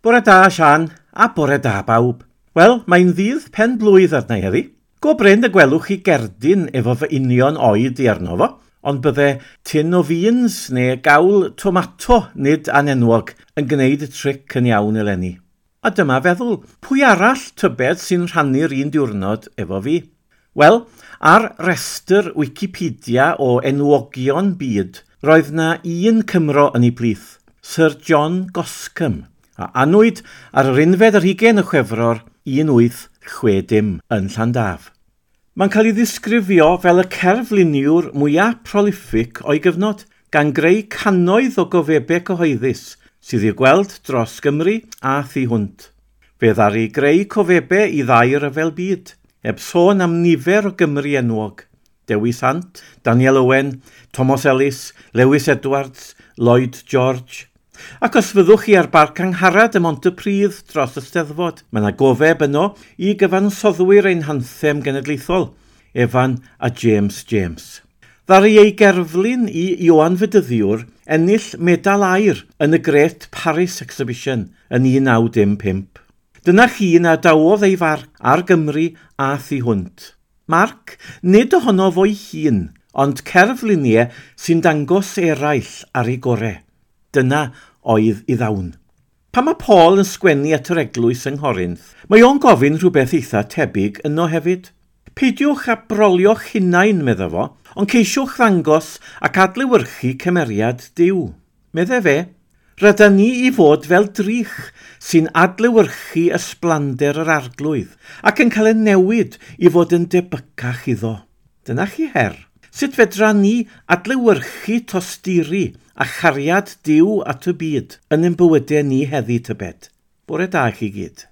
Bore da, Sian, a bore da bawb. Wel, mae'n ddydd pen blwydd arna i heddi. Go brin y gwelwch chi gerdyn efo fy union oed i arno fo, ond bydde tin o beans neu gawl tomato nid anenwog yn gwneud y tric yn iawn eleni. A dyma feddwl, pwy arall tybed sy'n rhannu'r un diwrnod efo fi? Wel, ar restr Wikipedia o enwogion byd, roedd na un Cymro yn ei plith, Sir John Goscombe, a anwyd ar yr 21 o Chwefror 1860 yn Llandaf. Mae'n cael ei ddisgrifio fel y cerfluniwr mwyaf prolific o'i gyfnod, gan greu cannoedd o gofebau cyhoeddus sydd i'w gweld dros Gymru a thu hwnt. Fe ddaru greu cofebau i ddau ryfel byd, heb sôn am nifer o Gymry enwog. Dewi Sant, Daniel Owen, Thomas Ellis, Lewis Edwards, Lloyd George. Ac os fyddwch chi ar Barc Angharad ym Mhontypridd dros y Steddfod, mae yna gofeb yno i gyfansoddwyr ein hanthem genedlaethol, Evan a James James. Ddaru ei gerflun i Ioan Fedyddiwr ennill medal aur yn y Great Paris Exhibition yn 1915. Dyna chi na dawodd ei farc ar Gymru a thu hwnt. Marc, nid ohono fo'i hun, ond cerfluniau sy'n dangos eraill ar ei gore. Dyna oedd ei ddawn. Pan mae Paul yn sgwennu at yr eglwys yng Nghorinth, mae o'n gofyn rhywbeth eitha tebyg yno hefyd. Peidiwch â brolio'ch hunain, medda fo, ond ceisiwch ddangos ac adlewyrchu cymeriad Duw. Medde fe, rydan ni i fod fel drych sy'n adlewyrchu ysblander yr arglwydd ac yn cael ei newid i fod yn debycach iddo. Dyna chi her. Sut fedra ni adlewyrchu tosturi a chariad Duw at y byd yn ein bywydau ni heddi tybed? Bore da i chi gyd.